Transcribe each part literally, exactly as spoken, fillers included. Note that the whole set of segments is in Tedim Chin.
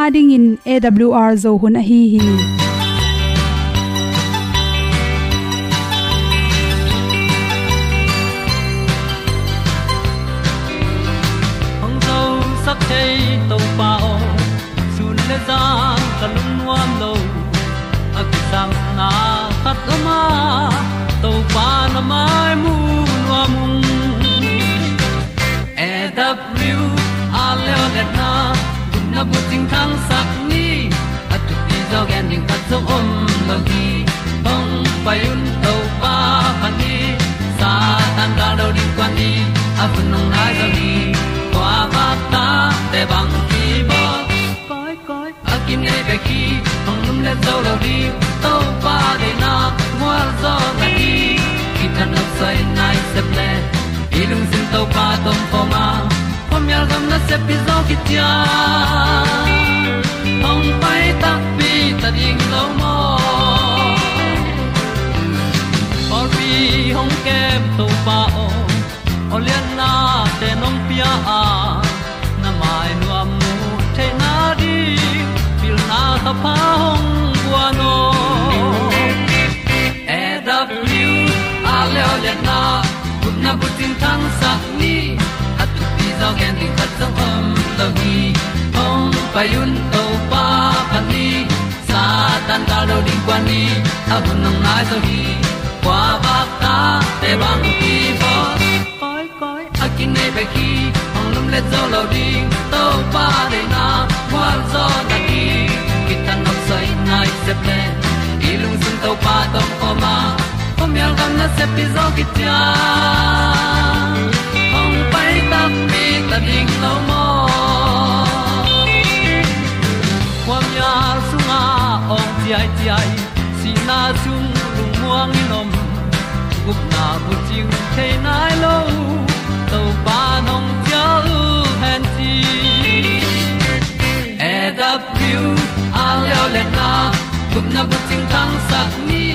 Adingin A W R Zo hun ahi hi. Hong zosak thei Topa aw, sun le zan ka lungnuam lo. A kisangna khat om a, Topa na mai mu nuam ung. A W R leo letna, gupna bucing thangsak ni. A thupi zaw gen ding khat zong om lo hi. Hong pai un Topa phat ni. Satan gal do ding kuan ni. A hun hong nai zaw hi. Kua vak ta te bang hi maw? Koi koi a kinei bek hi. Hong lum le zo lo ding Topa deihna gualzawhna hi. Kithat nopsai nai sep le i lungsim Topa tawh om khawm a, khuamial gam nasep hi zaw hi ciang hong pai takpi ta ding lo maw? Pawlpi hong kem Topa aw, aw liannate nong pia a, na mai nuam mu theihna ding pilna thapha hong guan aw. A W R leo letna, gupna bucing thangsak ni. A thupi zaw gen ding khat zong om lo hi. Hong pai un Topa phat ni. Satan gal do ding kuan ni. A hun hong nai zaw hi. Kua vak ta te bang hi maw? Koi koi a kinei bek hi. Hong lum le zo lo ding Topa deihna gualzawhna hi. Kithat nopsai nai sep le i lungsim Topa tawh om khawm a, khuamial gam nasep hi zaw hi ciang hong pai takpi ta ding lo maw? Khuamial sungah awng ciaiciai, sihna sung lungmuang in om, gupna bucing thei nai lo, Topa nong cial hen ci. A W R leo letna, gupna bucing thangsak ni.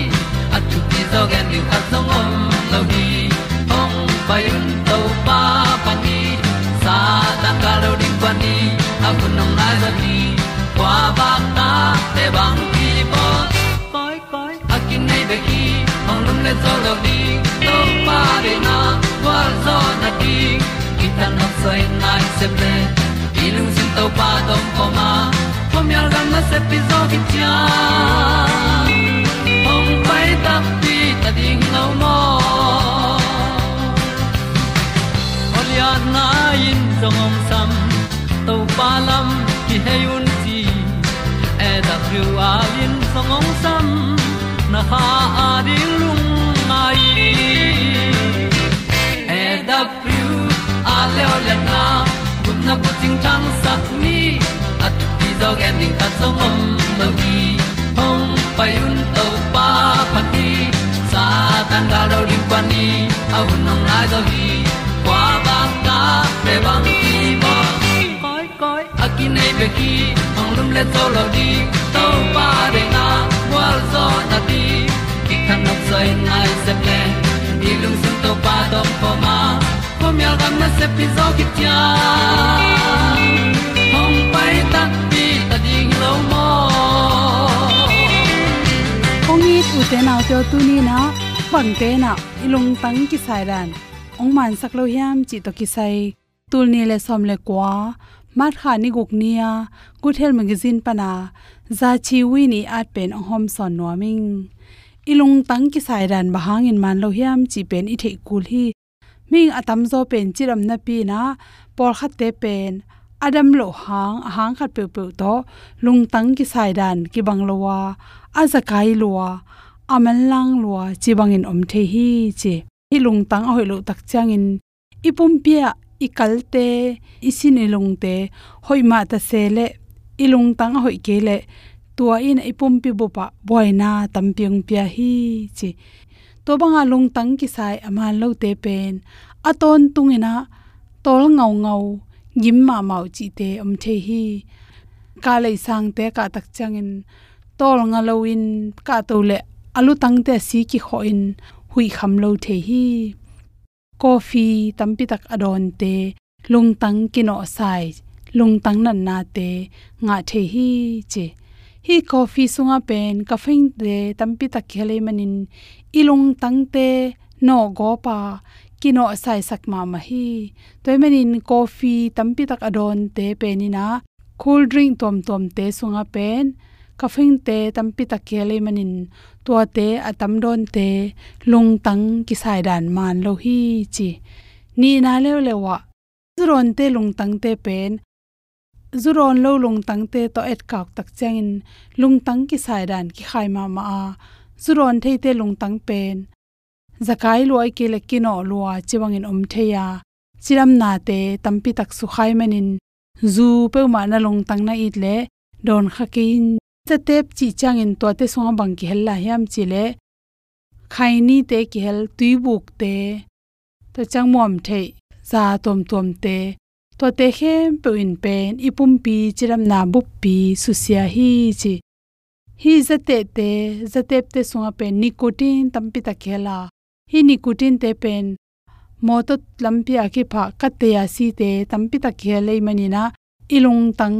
A thupi zaw gen ding khat zong om lo hi. Hong pai un Topa phat ni. Satan gal do ding kuan ni. A hun hong nai zaw hi. Kua vak ta te bang hi maw? Koi koi a kinei bek hi. Hong lum le zo lo ding Topa deihna gualzawhna ding. Kithat nopsai nai sep le i lungsim Topa tawh om khawm a, khuamial gam nasep hi zaw hi ciang hong pai takpi ta ding lo maw? Aw lianna in zong hong sam, Topa lam kihei un ci. A W R in zong hong sam, na kha a ding lungngai. A W R leo letna, gupna bucing thangsak ni. A thupi zaw gen ding khat zong om lo hi. Hong pai un Topa phat ni. Satan gal do ding kuan ni. A hun hong nai zaw hi. Kua vak ta te bang hi maw? Koi koi a kinei bek hi. Hong lum le zo lo ding Topa deihna gualzawhna ding. Kithat nopsai nai sep le i lungsim Topa tawh om khawm a, khuamial gam nasep hi zaw hi ciang hong pai takpi ta ding lo maw? Kong it ute naute aw, tuni in ah bangte in ah i lungtang kisai dan hong mansak lo hiam cih tawh kisai, tul nih le sawm le kua, March kha ni guk ni-a Good Health Magazine pana Za Chi Win ii at pen hong hawmsawn nuam ing. I lungtang kisai dan bang hangin man lo hiam cih pen i theih kul hi. Mihing a tamzaw pen cidam napi in ah pawlkhatte pen a dam loh hang, a hang khat peuhpeuh tawh lungtang kisai dan kibang lo a, a zakai lua, a manlang lua ci bangin om thei hi ci. Hih lungtang a hoih loh tak ciangin i pumpi ah i kalte, i sin i lungte hoih mah ta se leh i lungtang a hoih kei leh tua in i pumpi bup ah buaina tampi hong pia hi ci. Tua banga lungtang kisai a man lote pen a tawntung in ah tawl ngaungau, gim mahmah uh cihte om thei hi. Kah leisangte kah tak ciangin tawl nga loin kahto leh a lutangte a si kikhawh in huih kham lo thei hi. Coffee tampi tak a dawnte lungtang kinawhsai lungtang natnate ngah thei hi ci. Hih coffee sungah pen caffeine-te tampi tak kihel ahih manin i lungtangte nawhgawp a kinawhsaisak mahmah hi. Tua ahih manin coffee tampi tak a dawnte pen in ah, cool drink tuamtuamte sungah pen caffeine-te tampi tak kihel ahih manin tuate a tam dawnte lungtang kisaidan man lo hi ci. Nihna leuleu ah, zu dawnte lungtangte pen zu dawn lo lungtangte tawh etkak tak ciangin lungtang kisaidan kikhai mahmah a, zu dawn theite lungtang pen zakai lua ahih kei leh kinawh lua ci bangin om thei a, cidamnate tampi tak sukha ahih manin zu peuhmah na lungtang na it leh dawn kha kei in. Zatep cih ciangin tuate sungah bang kihel lai hiam cih leh, khainite kihel, tuibukte, tua ciang muamtheih za tuamtuamte, tuate khempeuh in pen i pumpi cidamna buppi susia hi ci. Hih zatepte, zatepte sungah pen nicotine tampi tak kihel a, hih nicotine-te pen mawtaw lampi a kiphah katte a site tampi tak kihel ahih manin ah, i lungtang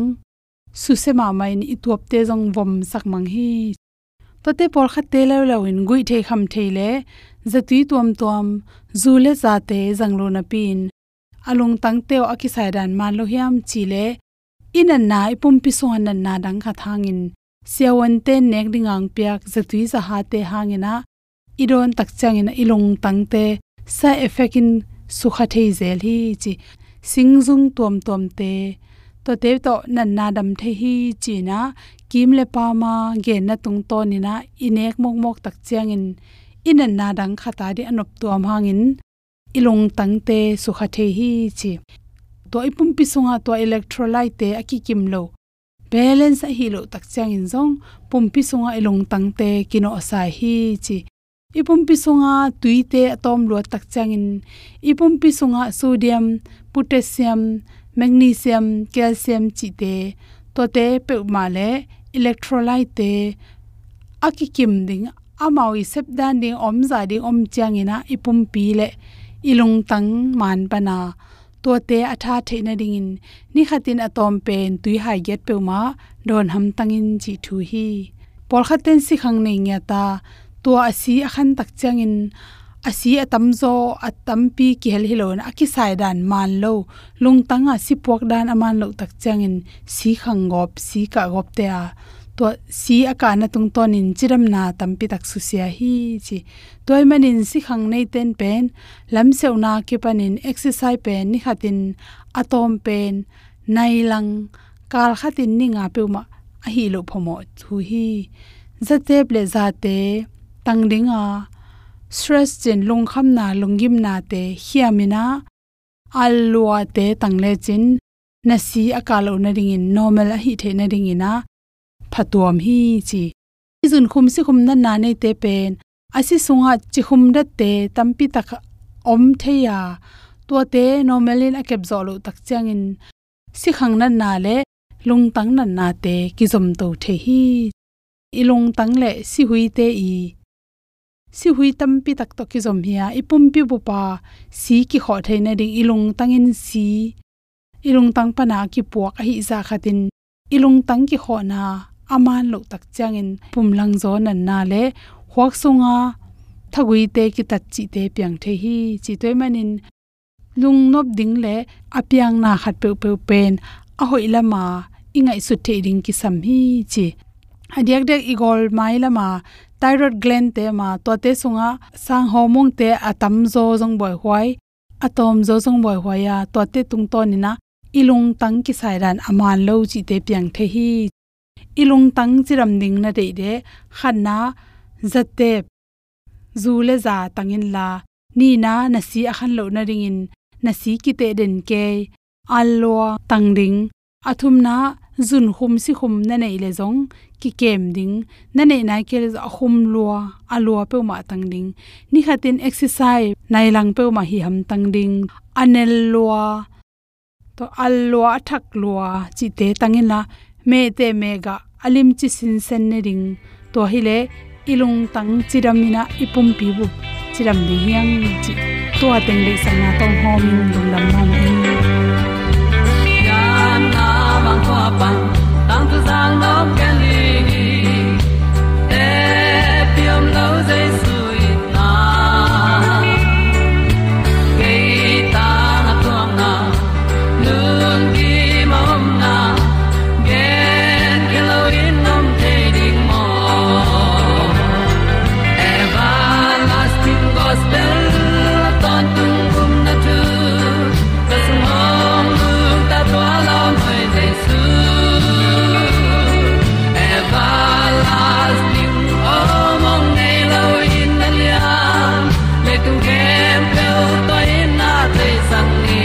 susia mahmah in i tuapte zong vomsak mang hi. Tuate pawlkhatte leuleu in guih thei kham thei leh zatui tuamtuam, zu le zate zang lo napi-in a lungtangte aw a kisaidan man lo hiam cih leh, i natna, i pumpi sungah natna dang khat hangin, siavuante nek ding a hong piak zatui zahate hangin ah i dawn tak ciangin ah i lungtangte side effect in sukha thei zel hi ci. Singzung tuamtuamte, tuate tawh natna dam thei hi ci-in ah, kim le pam a genna tungtawnin ah i nek mawkmawk tak ciangin i natna dang khat a ding a noptuam hangin i lungtangte sukha thei hi ci. Tua i pumpi sungah tua electrolyte-te a kikim lo, balance ahih loh tak ciangin zong pumpi sungah i lungtangte kinawhsai hi ci. I pumpi sungah tuite a tawm luat tak ciangin i pumpi sungah sodium, potassium, magnesium, calcium cihte, tuate peuhmah le electrolyte-te a kikim ding, amau i sepdan ding, omzah ding om ciangin ah i pumpi le i lungtang man pan a, tuate a tha theih nadingin ni khatin a tawm pen tui hai giat peuhmah dawn hamtang in cih thu hi. Pawlkhatte in sikhang nei ngiat a, tua a si a khan tak ciangin a si a tamzaw, a tampi kihel hi lo in a kisaidan man lo, lungtang a si puak dan a man loh tak ciangin si khang gawp, si kah gawpte a, tua si a kahna tungtawnin cidamna tampi tak susia hi ci. Tua ahih manin sikhang neite in pen lamsiauhna kipanin exercise pen ni khatin a tawm pen nai lang, kal khatin ni nga peuhmah ahih loh phamawh thu hi. Zatep le zate tang ding a, stress cih lungkhamna, lunggimnate khiamin ah, al luate tang lecin na si a kah loh nadingin, normal ahih theih nadingin ah phatuam hi ci. I zunkhum sikhum natna neite pen a si sungah cikhum datte tampi tak om thei a, tuate normal in a kepzawh loh tak ciangin sikhang natna le lungtang natnate kizomto thei hi. I lungtang le sihuite i sihui tampi tak tawh kizom hi a, i pumpi bup a si kikhawh theih nading, i lungtang in si, i lungtang pan a kipuak ahih zah khatin i lungtang kikhawhna a man loh tak ciangin pumlangzaw natna le khuak sunga thaguite kitat cihte piang thei hi ci. Tua ahih manin lungnop ding le a piangna khat peuhpeuh pen a hoih lam a i ngaihsut theih ding kisam hi ci. A diakdiak i gawlmai lam a thyroid gland-te mah, tuate sungah sang hormone-te a tamzaw zong buaihuai, a tawmzaw zong buaihuai a, tuate tungtawnin ah i lungtang kisaidan a man lo cihte piang thei hi. I lungtang cidam ding na deih leh, khatna, zatep, zu le za tang inla, nihna, na si a khan loh nadingin na si kiteh den kei, al lua tang ding. A thumna, zunkhum sikhum na neih leh zong kikem ding. Na neih nai kei leh zong a khum lua, a lua peuhmah tang ding. Ni khatin exercise nai lang peuhmah hih hamtang ding. A nel lua, tua al lua, a thak lua cihte tang inla, mehteh mehgah a limci sinsen ne ding. Tua hileh i lungtang cidam in ah i pumpi bup cidam ding hi hang cih tua teng deihsakna tawh hawmin lungdam mahmah ing. Pan tangthu zang nop ken ling hi. Tepi om lo Jesu itna, kei tang a tuamna, lungkim a omna, gen kei lo in om thei ding maw? Everlasting Gospel, tawntung gumna thu, ka sung hong nungta tua lawm hoi Jesu. Everlasting om hong nei lo in na liam, leitung khempeuh tua in na theisak ni.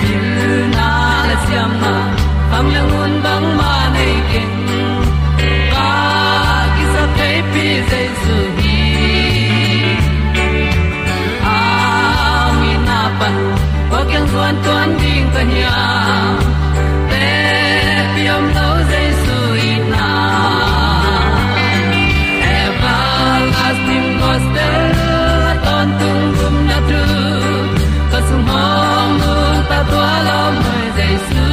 Pilna le siamna, kham le ngun bangmah nei keng, ka kisap theipi Jesu hi. A itna pan kua kiang zuan tuan ding ka hiam? Tepi om lo Jesu itna, Everlasting Gospel, tawntung gumna thu, ka sung hong nungta tua lawm hoi Jesu.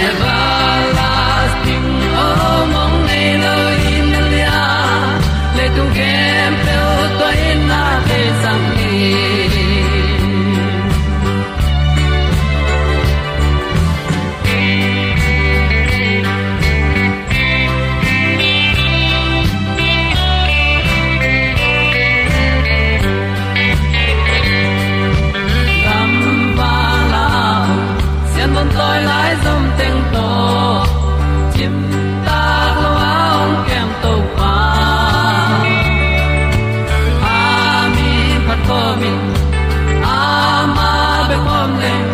Everlasting om hong nei lo in na liam, leitung khempeuh tua in na theisak ni. Gamvala sian bawm tawi lai zom teng tawh, cimtak lo a hong kem Topa. A min phat khawm in, amah bek khawm leng,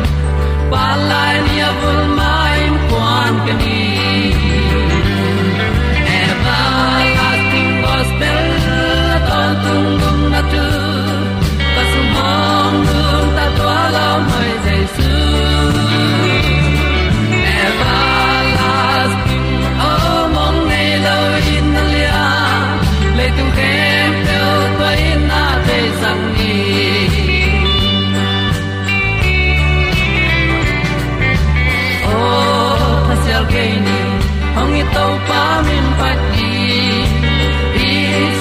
Palai ni a vul mah in kuan ka ni. Everlasting Gospel, tawntung gumna thu, ka sung hong nungta tua lawm hoi Jesu. Everlasting om hong nei lo in na liam, leitung khempeuh tua in na theisak ni. Aw, thasial kei ni, hong i Topa min phat ni, i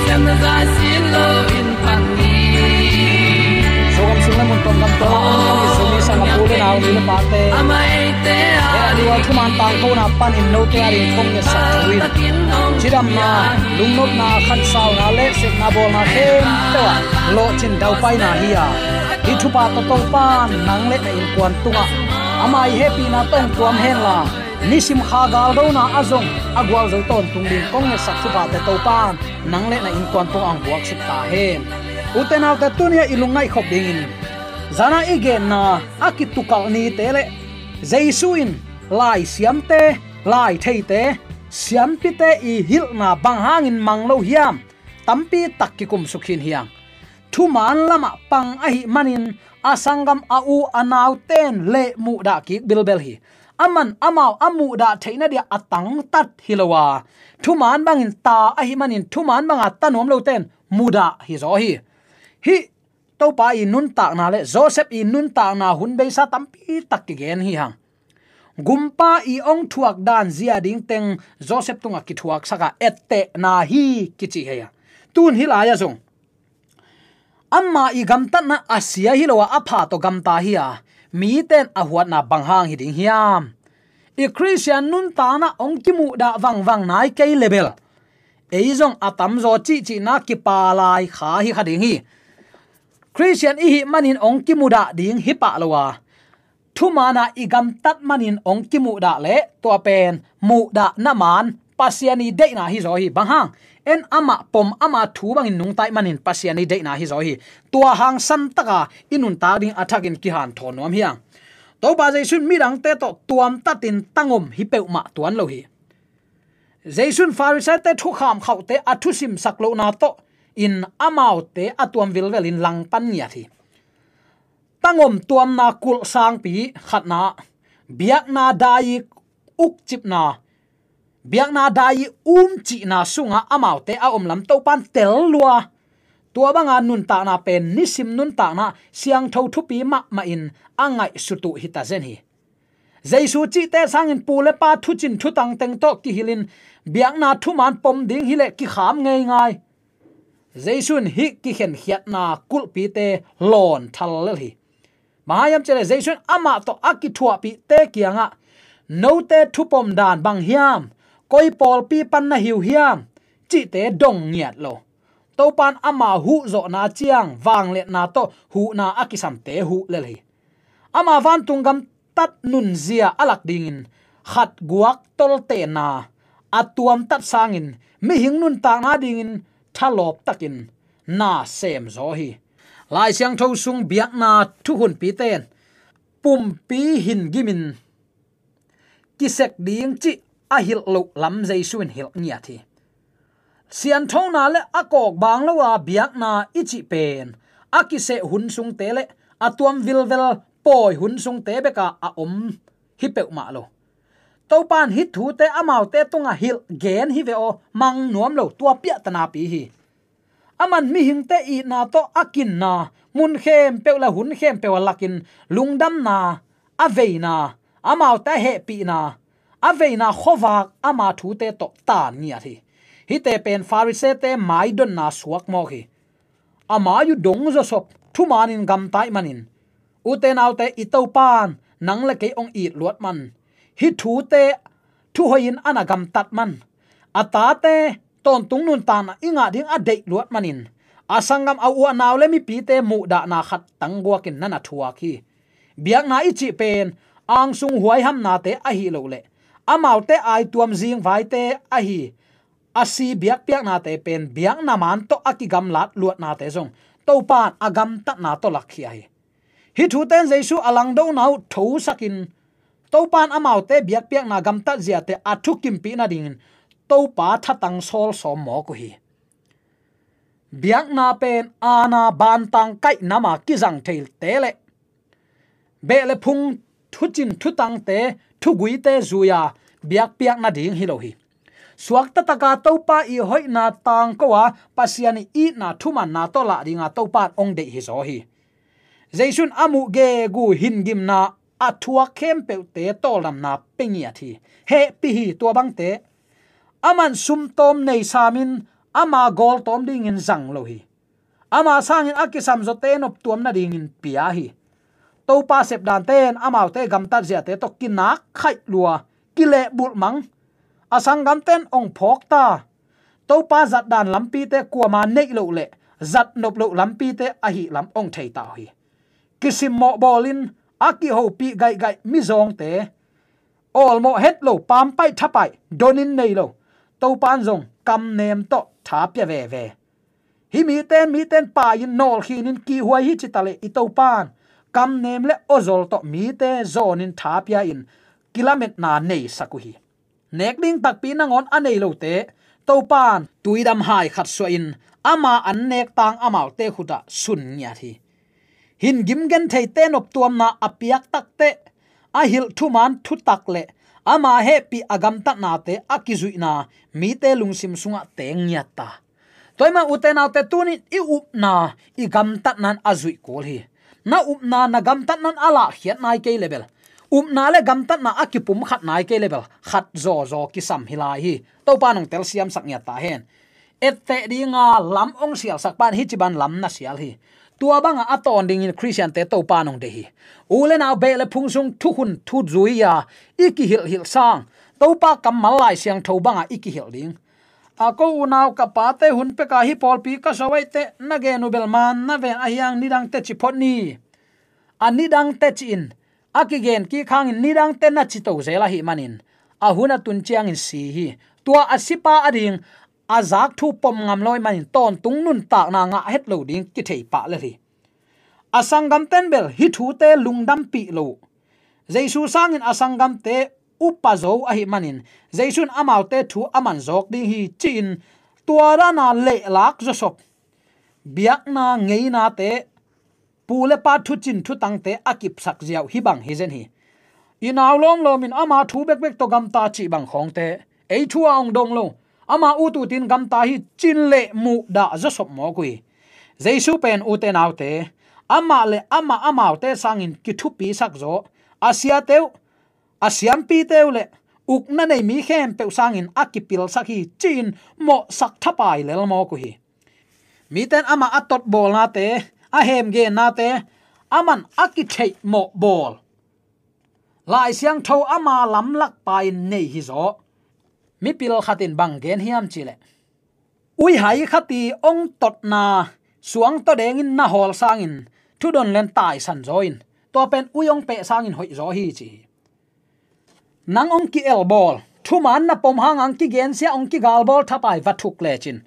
siamna zai sin lo in phat ni. Zogam sung le mun pawngkam tawh a om i Zomi sanggampu le nau, nu le pate, amah eite a ding, tua thuman tangkona panin note a ding kong ngetsak thu in, cidamna, lungnopna, khansauna le sepna bawlna khempeuh ah lawhcin daupaina hi a, hih thupha tawh Topa nang le na innkuan tungah ama i hehpihna tawh hong tuam henla, nisim kha galdona ah zong a gualzo tawntung ding kong ngetsak thuphate Topa nang le na innkuan tungah hong buaksuk ta hen. Ute naute, tuni-ah i lungngaih khop dingin zana i genna a kitukalh nite le Jesu in laisiamte, laitheite, siampite i hilhna bang hangin mang lo hiam? Tampi tak kikumsuk khin hi hang. Thuman lamah pang ahih manin a sanggam, a u a nauten leh muhdah kik bilbel hi. Aman amau a muhdah theihna dia a tangtat hi lo a, thuman bangin ta ahih manin thuman banga ta nuam loten mudah hi zaw hi. Hih Topa i nuntakna le Joseph i nuntakna hun beisa tampi tak kigen hi hang. Gumpa i hong thuak dan zia dingteng Joseph tungah kithuaksak a, ettehna hi kici hi a. Tun hih lai-ah zong ama i gamtatna a sia hi lo a, a pha tawh gamta hi a, miten a huatna bang hang hi ding hiam? I Khristian nuntakna hong kimuhdah vangvang nai kei le bel, ei zong a tamzaw cihcihna kipa lai kha hi kha ding hi. Khristian i hih manin hong kimudah ding hi pah lo a, thuman a i gamtat manin hong kimuhdah leh tua pen muhdahna man Pasian i deihna hi zaw hi. Bang hang? En amah pom, ama thu bangin nungta ih manin Pasian i deihna hi zaw hi. Tua hang santaka i nuntak ding a thakin kihanthawn nuam hi hang. Topa Jesu in midangte tawh tuamtatin tangom hi peuhmah tuan lo hi. Jesu in Farisai-te thukham khauhte a thusimsak lohna tawh in amaute a tuam vilvelin langpan ngiat hi. Tangom tuamna kulh sangpi khatna, biakna dai-i ukcipna, biakna dai-i umcihna sungah amaute a omlam Topan tel lua, Tua banga nuntakna pen nisim nuntakna siangtho thupi mahmah in a ngaihsut uh hita zen hi. Jesu cihte sangin pu le pa thucin thutang teng tawh kihilhin biakna thuman pom ding hileh kikham ngeingai. Jesu in hih kikhenkhiatna kulhpite lawn thal lel hi. Bang hang hiam cih leh Jesu in amah tawh a kithuahpihte kiangah note thupom dan bang hiam, koi pawlpi pan na hi uh hiam cihte dong ngiat lo. Topa in ama huhzawhna ciang vangliatna tawh huhna a kisamte huh lel hi. Ama vantung gamtat nunzia a lak dingin khat guak toltena a tuamtat sangin mihing nuntakna dingin thalawp takin na semzaw hi. Lai Siangtho sung biakna thuhunpite in pumpi hin gimin kisek ding cih a hilh loh lam Jesu in hilh ngiat hi. Sianthona le a kawkbang lo a biakna i cih pen a kiseh hun sungte le a tuam vilvel pawi hun sungte beka a om hi peuhmah lo. Topa in hih thute amaute tungah hilh gen hi ve aw, mang nuam lo, tua piahtanapi hi. Aman mihingte itna tawh a kinna mun khempeuh le hun khempeuh a lakin lungdamna, a veina, amaute a hehpihna, a veina khuavak ama thute tawh tan ngiat hi. Hihte pen Pharisee-te maidonna suak mawk hi. A mai uh dong zawsop thumanin gamta ih manin, ute naute, i Topa in nang le kei hong it luat man, hih thute thuhoihin a na gamtat man, a tate tawntung nuntakna i ngah ding a deih luat manin a sanggam, a u a nau le mipite muhdahna khat tangguakin na na thuak hi. Biakna i cih pen angsung huaihamnate ahi loh le amaute aituam zingvaite ahi a si biakpiaknate pen biakna man tawh a kigamlat luatnate zong Topa in a gamtatna tawh lakkhia hi. Hih thute in Jesu a langdona uh thosakin Topa in amaute biakpiakna gamtat ziate a thukimpih nadingin Topa thatang sawlsawm mawk uh hi. Biakna pen aana bantang kaih nama kizang theite le beh le phung thucin thutangte thuguite zui-a biakpiak nading hi lo hi. Suakta taka Topa ih hoihna tangko a Pasian ih itna thumanna tawh lah dinga Topa in hong deih hizaw hi. Jesu in a muh gegu hingimna a thuak khempeuhte tawldamna pia ngiat hi. Hehpih hi tua bangte. Aman sumtawm nei samin ama gawltawm dingin zang lo hi. Ama sangin a kisamzawte noptuam nadingin pia hi. Topa sepdante in amaute gamtat ziate tawh kinak khaih lua, kilehbulh mang. A sanggamte in hong phawk ta. Topa zatdan lampite kuama neih loh le zat nop loh lampite ahih lam hong thei ta uh hi. Kisimmawh bawlin a kihopih gaihgaih mizawngte, awlmawh het lo, pampaih thapaih donin nei lo Topa in zong kamnem tawh tha pia veve. Hih mite in, mite in pai-in nawlkhinin kihhuai hi cita le i Topa in kamnem le awzawl tawh mite zawnin tha pia-in kilametna neisak uh hi. Nek ding takpi nangawn a nei lote Topa in tuidam hai khat suahin ama an nek tang amaute khutah sun ngiat hi. Hingim gentheite noptuamna a piak takteh a hilh thuman thutak le ama hehpih a gamtatnate a kizuihna mite lungsim sungah teng ngiat ta. Tua ahih manin ute naute, tuni-in i upna i gamtatna in a zuih kul hi. Na upna na gamtatna in a lahkhiat nai kei le bel, upna le gamtatna a kipumkhat nai kei le bel, khat zawzaw kisam hi lai hi. Topa in hong telsiamsak ngiat ta hen. Etteh dinga lam hong sialsak pa in hih ci bang lam na sial hi. Tua banga a tawn dingin Khristiante Topa in hong deih hi. U le nau, beh le phung sung thukhun thuzui-a i kihilhhilh sang Topa kammal Lai Siangtho banga i kihilh ding. A ko unau, ka pate hun peka hih pawlpi ka suah uh aih teh, na gen uh bel man na ven ahi hang, nidang teci phot ni. A nidang teci in a kigen kik hangin nidang teci na cito zel ahih manin a hun a tun ciangin si hi. Tua a sipa ading a zak thu pom ngam lo ahih manin tawntung nuntakna ngah het lo ding kithei pah lel hi. A sanggamte in bel hih thute lungdampih lo uh. Jesu sangin a sanggamte upa zo ahih manin Jesu in amaute thu a man zawk ding hi ci-in tua dana lehlak zawsop biakna ngeinate, pu le pa thucin thutangte a kipsak ziau hih bang hi zen hi. I nau lawmlawm in ama thu bekbek tawh gamta cih bang khawngte ei thu a hong dong lo, ama ut utin gamta hi ci-in leh muhdah zawsop mawk uh hi. Jesu pen, ute naute, amah le amah amaute sangin kithupisak zaw, a siate uh, a siampite uh le ukna nei mi khempeuh sangin a kipilsak hi, ci-in mawhsak thapai lel mawk uh hi. Miten amah a totbawlnate, a hemgennate, aman a kitheih mawh bawl Lai Siangtho ama lamlak pa-in nei hi zaw. Mipil khatin bang gen hiam cihleh, uihai khat i ong totna suang tawdengin na hawl sangin thudon len taisan zaw in, tua pen ui ong peh sangin hoih zaw hi, ci hi. Nang ong ki-elbawl, thuman na pom hanga ong kigensia, ong kigalbawl thapai va thuk lecin,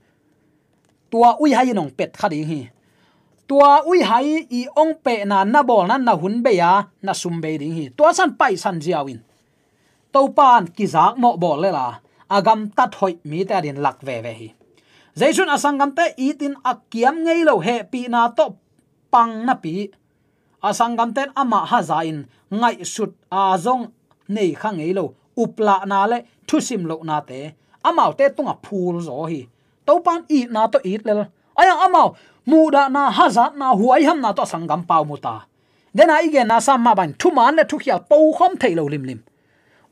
tua uihai in ong pet kha ding hi. Tua uihai i ong pehna na bawlna na hun bei a, na sum bei ding hi. Tua san paisan ziau in, Topa in kizak mawh bawl lela, a gamtat hoih mite adin lak veve hi. Jesu in a sanggamte itin a kiam ngei lo hehpihna tawh pang napi, a sanggamte in amah haza in ngaihsut a zong nei kha ngei lo uplahna le thusim lohnate amaute tungah phul zaw hi. Topa in itna tawh it lel. Ahi hang amau muhdahna, hazatna, huaihamna tawh a sanggam pau mu ta. Dena i genna sam mah bangin thuman le thukhial pokhawm thei lo limlim.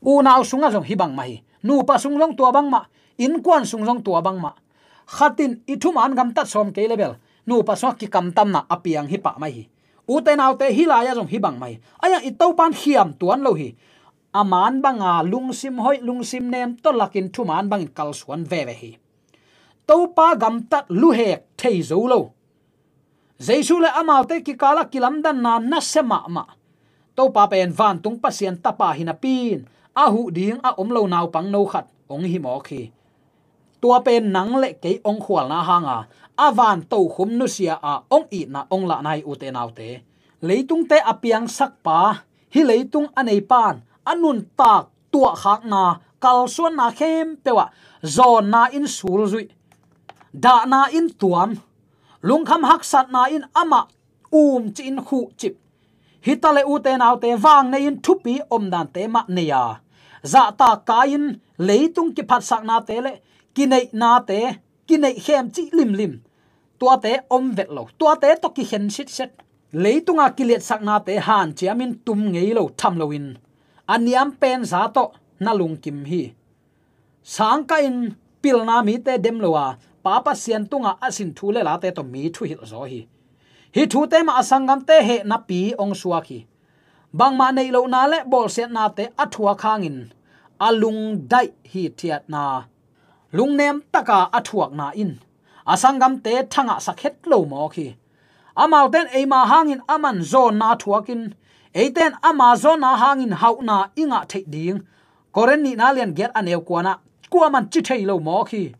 Unau sungah zong hih bang mah hi. Nupa sung zong tua bang mah. Innkuan sung zong tua bang mah. Khatin i thuman gamtat sawm kei le bel, nupa sungah kikamtamna a piang hi pah mai hi. Ute naute, hih lai-ah zong hih bang mah hi. Ahi hang i Topa in khiam tuan lo hi. A man banga lungsim hoih, lungsim nem tawh lakin thuman bangin kalsuan veve hi. Topa gamtat luhek thei zo lo. Jesu le amaute kikalah kilamdanna nasia mahmah. Topa pen vantung Pasian Tapa hi napi-in a huh ding a om lo naupangno khat hong hi mawk hi. Tua pen nang le kei hong khualna hanga a van tokhum nusia a hong itna hong lahna hi, ute naute. Leitungte a piangsak pa, hih leitung a nei pan a nuntak tuahkhakna, kalsuanna khempeuh ah zawnna in sulzuih, dahna in tuam, lungkham haksatna in amah umcih in khuhcip. Hi ta le, ute naute, vang nei-in thupi omdante mah nei a, zahtak kai-in leitung kiphatsaknate le kineihnate, kineih khemcih limlim, tuate om vet lo, tuate tawh kikhen sitset. Leitunga kiliatsaknate hanciamin tum ngei lo tham loin a niam pen za tawh na lungkim hi. Sangkah in pilna mite dem lo a, Pa Pasian tungah a sin thu le late tawh mi thuhilh zaw hi. Hih thute mah a sanggamte hehnapi hong suak hi. Bangmah neih lohna le bawlsiatnate a thuak hangin a lungdaih hithiatna, lungnem taka a thuakna in a sanggamte thangahsak het lo mawk hi. Amaute in eima hangin aman zawnna thuakin, eite in ama zawnna hangin hauhna i ngah theih ding Korin nihna lian giat a neu kuana kuaman ci thei lo mawk hi.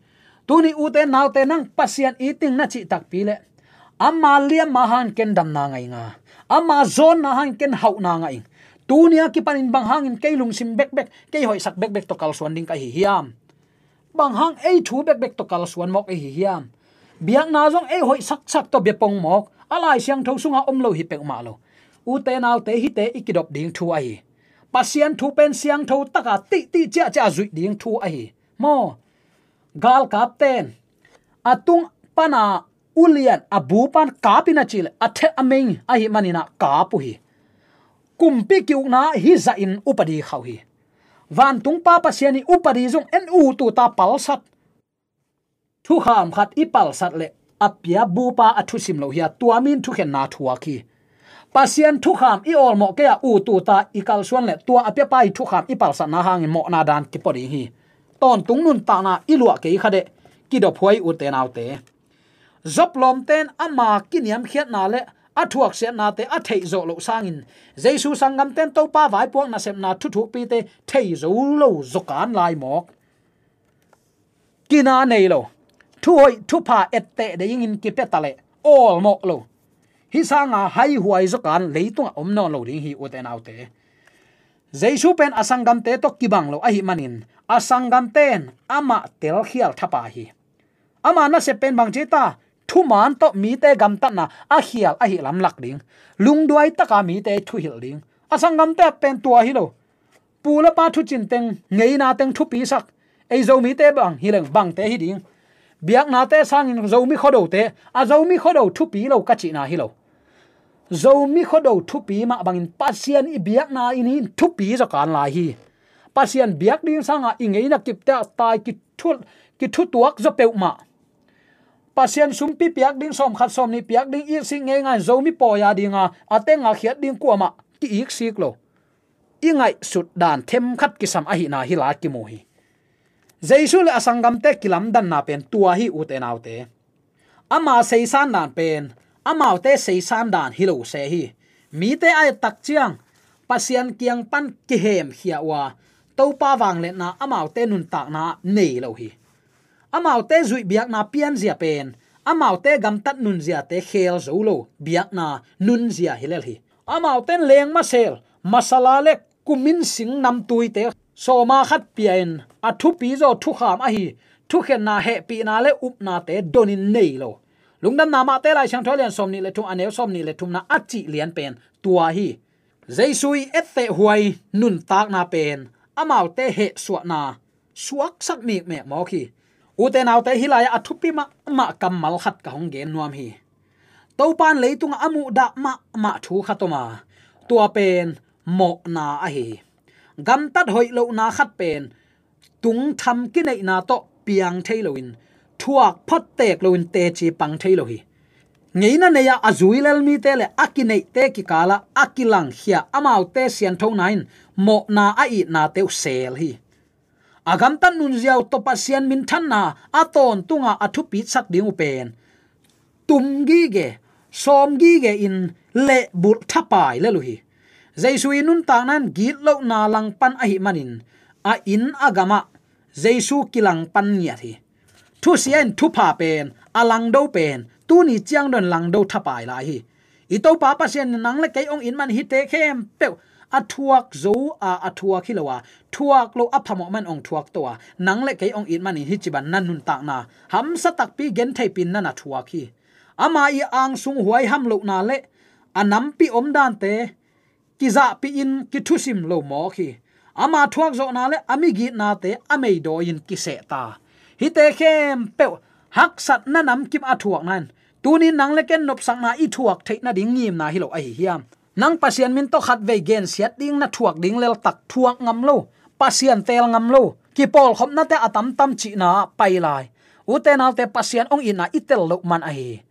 Tuni ute naute, nang Pasian iting na cih takpi le ama liamma hangin ken damna ngah ing a, ama zawnna hangin ken hauhna ngah ing. Tuni a kipanin bang hangin kei lungsim bekbek, kei hoihsak bekbek tawh kalsuan ding ka hi hiam? Bang hang ei thu bekbek tawh kalsuan mawk ei hi hiam? Biakna zong ei hoihsaksak tawh bia pong mawk, a Lai Siangtho sunga om lo hi peuhmah lo. Ute naute, hihte i kidop ding thu ahi. Pasian thu pen siangtho taka tihtih ciahciah zuih ding thu ahi. Maw? Galkapten a tung pana ulian a bu pan kap in a cih leh a theh a mei ahih manin ah kap uh hi. Kumpi ki-ukna hih zahin upadi khauh hi. Vantung Pa Pasian i upadi zong en ut ut a palsat. Thukham khat i palsat leh a pia bupa a thusim lo hi a, tua mi in thukhenna thuak hi. Pasian thukham i awlmawh kei a ut ut a i kalsuan leh tua a piapa i thukham i palsatna hangin mawhna dan kipua ding hi. Tawntung nuntakna i luah kei kha deh, kidophuai ute naute. Job lawmte in ama kiniamkhiatna le a thuaksiatnate a theih zawh loh sangin Jesu sanggamte in Topa vaipuak nasepna thuthukpite thei zo lo zawkan lai mawk. Kina nei lo, thuhoih thupha etteh deih ingin kipia ta leh awlmawh lo. Hih sanga haihuai zawkan leitungah om nawn lo ding hi ute naute. Jesu pen a sanggamte tawh kibang lo ahih manin a sanggamte in amah telkhial thapai hi. Ama nasep pen bang ci ta? Thuman tawh mite gamtatna a khial ahih lam lak ding, lungduai taka mite thuhilh ding. A sanggamte pen tua hi lo. Pu le pa thucin teng, ngeina teng thupisak. Ei Zomite bang hi leng bangte hi ding. Biaknate sangin Zomi Khuado te, a Zomi Khuado thupi lo ka cihna hi lo. Zomi Khuado thupi mah bangin Pasian i biakna in hi in thupi zaw kan lai hi. Pasian biak ding sangah i ngeina kipte ah tai kithu, kithutuak zaw peuhmah. Pasian sumpi piak ding, sawmkhat sawmnih piak ding, iksik ngeingai Zomi pawi a dinga a teng a khiat ding kuamah ki-iksik lo. I ngaihsut dan themkhat kisam ahihna hi lai kimu hi. Jesu le a sanggamte kilamdanna pen tua hi, ute naute. Ama seisan dan pen amaute seisan dan hi lo se hi. Mite a et tak ciang Pasian kiang pan kihemkhia uh a, Topa vangliatna amaute nuntakna nei lo hi. Amaute zuih biakna pianzia pen amaute gamtat nunziate khel zo lo biakna nunzia hi lel hi. Amaute in lengmasel, masala le kumin sing namtuite sawma khat pia-in a thupi zaw thukham ahi thukhenna, hehpihna le upnate donin nei lo. Lungdamna Mate Lai Siangtho a lian sawmnih le thum, a neu sawmnih le thumna a cih lian pen tua hi. Jesu i ettehhuai nuntakna pen amaute hehsuahna suaksak mikmek mawk hi. Ute naute, hih lai-ah a thupi mahmah kammal khat ka hong gen nuam hi. Topa in leitungah a muhdah mahmah thu khat om a, tua pen mawhna ahi hi. Gamtat hoih lohna khat pen tungtham kineihna tawh piang thei loin, thuak phottek loin teci pang thei lo hi. Ngeina nei-ah a zui lel mite le a kineihte kikalah a kilangkhia amaute sianthona in mawhna a itnate uh sel hi. A gamtat nunzia uh tawh Pasian minthanna a tawntunga a thupitsak ding uh pen tum gige, sawm gige in lehbulh thapai lel uh hi. Jesu i nuntakna in gitlohna langpan ahih manin a inn a gamah Jesu kilangpan ngiat hi. Thusia in thupha pen, a langdo pen tuni ciang dong langdo thapai lai hi. I Topa Pasian in nang le kei hong it man hihte khempeuh a thuak zo a, a thuak hi lo a, thuak lo a phamawh man hong thuak to a, nang le kei hong it manin hih ci ban na nuntakna hamsa takpi gentheipin na na thuak hi. Ama i angsung huaiham lohna le a nampi omdante kizahpihin kithusim lo mawk hi. Ama thuakzawhna le a migitnate a meidawi-in kisehta. Hihte khempeuh haksatna namkim a thuakna in tunin nang le ken nopsakna i thuak theih nading ngimna hi lo ahi hiam? Nang Pasian min tawh khatvei gensiat ding na thuak ding leltak thuak ngam lo, Pasian teel ngam lo, kipawlkhopnate a tamtam cihna ah pai lai. Ute naute, Pasian hong itna i tel loh man ahi hi.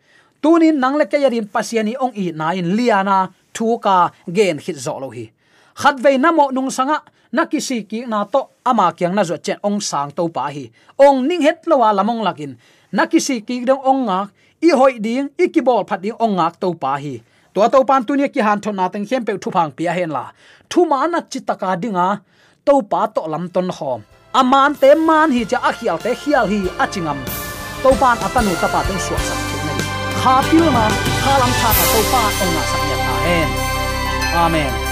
Tunin nang le kei a din Pasian i hong itna in liana thuka gen khit zawh lo hi. Khatvei na mawh nungsangah na kisikkikna tawh ama kiang na zuat ciang hong sang Topa hi. Hong ning het lo a lam hong lakin na kisikkik ding hong ngak, i hoih ding, i kibawlphat ding hong ngak Topa hi. Tua Topa in tuni a kihanthawnna teng khempeuh thupha hong pia henla, thuman a citaka dinga Topa tawh lamton khawm. A mante man hi cia, a khialte khial hi a ci ngam Topa in a tanu tapa teng suaksak theihna ding kha pilna, kha lamthakna Topa hong ngahsak ngiat ta hen. Amen.